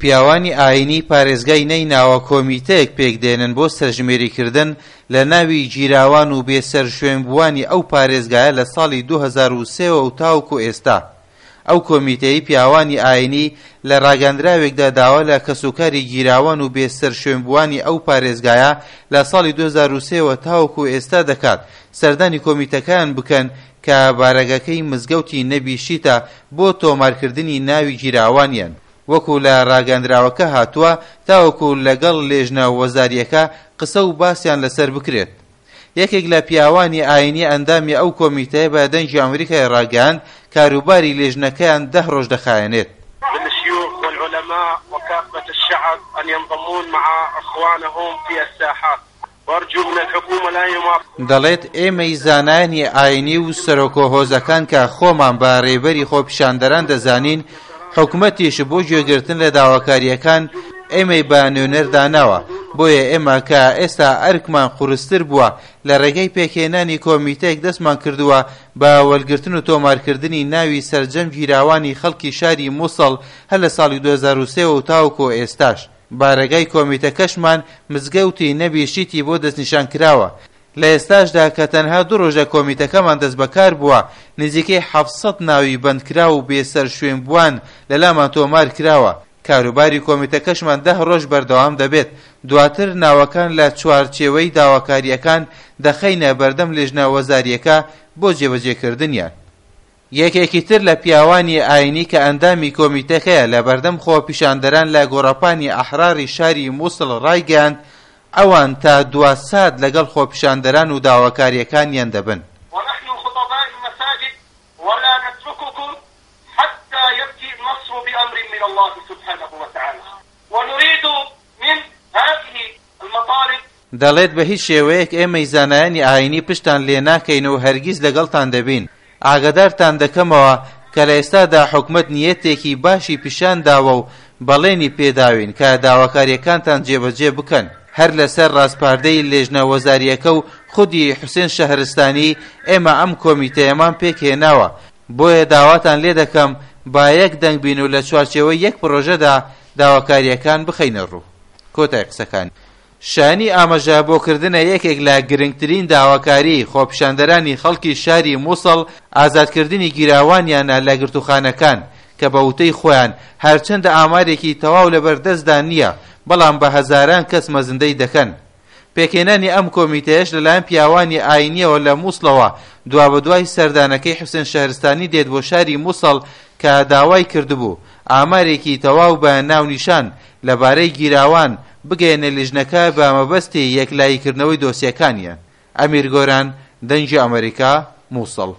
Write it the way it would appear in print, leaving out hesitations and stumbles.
پیاوانی ئایینی پارێزگای نەیناوە کۆمیتەیەک پێکدێنن بۆ سەرژمێریکردن لە ناوی گیراوان و بێسەرشوێنبووانی ئەو پارێزگایە لە ساڵی 2003 وە و تاوەکو ئێستا. ئەو کۆمیتەی پیاوانی ئایینی لە ڕاگەندراوێکدا داوا لە کەسوکاری گیراوان و بێسەرشوێنبووانی ئەو پارێزگایە لە ساڵی 2003 وە تاوەکو ئێستا دەکات سەردانی کۆمیتەکەیان بکەن کە بارەگەکەی مزگەوتی نەبی شیتە بۆ تۆمارکردنی ناوی گیراوانیان. وەکو لە ڕاگەندراوەکە هاتووە، تاوەکو لەگەڵ لێژنە وەزارییەکە قسە و باسیان لەسەر بکرێت. یەکێک لە پیاوانی ئایینی ئەندامی ئەو کۆمیتەیە بە دەنگی ئەمریکای ڕاگەیاند، کاروباری لێژنەکەیان دە ڕۆژ دەخایەنێت. للشيوخ والعلماء وكافة الشعب أن ينضمون مع اخوانهم في الساحات وارجو من الحكومة لا يماطل. دەڵێت، ئێمەی زانایانی ئایینی و سەرۆکۆ هۆزەکان کە خۆمان بە رێبەری خۆپیشاندەران دەزانین، حکومەتیش بۆ گوێگرتن لە داواکارییەکان ئێمەی بە نوێنەر داناوە، بۆیە ئێمە کە ئێستا ئەرکمان قورستر بووە لە رێگەی پێکهێنانی کۆمیتەیەک دەستمان کردووە بە وەرگرتن و تۆمارکردنی ناوی سەرجەم گیراوانی خەڵکی شاری موسڵ هەر لە ساڵی 2003 وە و تاوەکو ئێستاش. بارەگای کۆمیتەکەشمان مزگەوتی نەبی شیتی بۆ دەستنیشان کراوە، لە ئێستاشدا کە تەنها دوو ڕۆژە کۆمیتەکەمان دەستبەکار بووە، نزیکەی 700 ناوی بەندکراو و بێسەرشوێنبووان لەلامان تۆمار کراوە، کاروباری کۆمیتەکەشمان دە ڕۆژ بەردەوام دەبێت، دواتر ناوەکان لە چوارچێوەی داواکارییەکان دەخەینە بەردەم لێژنە وەزارییەکە بۆ جێبەجێکردنیان. یەکێکی تر لە پیاوانی ئاینی کە ئەندامی کۆمیتەکەیە لە بەردەم خۆپیشاندەران لە گۆڕەپانی ئەحراری شاری موسڵ ڕایگەیاند، ئەوان تا دوا سات لەگەڵ خۆپیشاندەران و داواکارییەکانیان دەبن. ونحن خطباء المساجد ولا نترککم حتی یأتی النصر بأمر من اللە سبحانە وتعالی ونرید من هذه المطالب. دەڵێت بە هیچ شێوەیەک ئێمەی زانایانی ئاینی پشتان لێ ناکەین و هەرگیز لەگەڵتان دەبین، ئاگادارتان دەکەمەوە کە لە ئێستادا حکومەت نیەتێکی باشی پیشان داوە و بەڵێنی پێداوین کە داواکارییەکانتان جێبەجێ بکەن. هەر لەسەر ڕاسپاردەی لێژنە وەزارییەکە و خودی حوسێن شەهرستانی ئێمە ئەم کۆمیتەیەمان پێکهێناوە، بۆیە داواتان لێدەکەم با یەک دەنگ بین و لە چوارچێوەی یەک پڕۆژەدا داواکارییەکان بخەینە ڕوو. کۆتای قسەکانی. شایانی ئاماژە بۆ کردنە یەکێک لە گرنگترین داواکاریی خۆپیشاندەرانی خەڵکی شاری موسڵ ئازادکردنی گیراوانیانە لە گرتووخانەکان کە بە وتەی خۆیان هەرچەندە ئامارێکی تەواو لەبەردەستدا نییە بەڵام بە هەزاران کەس مەزندەی دەکەن. پێکهێنانی ئەم کۆمیتەیەش لەلایەن پیاوانی ئاینییەوە لە موسڵەوە دوابەدوای سەردانەکەی حوسێن شەهرستانی دێت بۆ شاری موسڵ کە داوای کردبوو ئامارێکی تەواو بە ناونیشان لەبارەی گیراوان بگەیەنە لیژنەکە بە مەبەستی یەکلاییکردنەوەی دۆسیەکانیان. ئەمیر گۆران، دەنگی ئەمەریکا، موسڵ.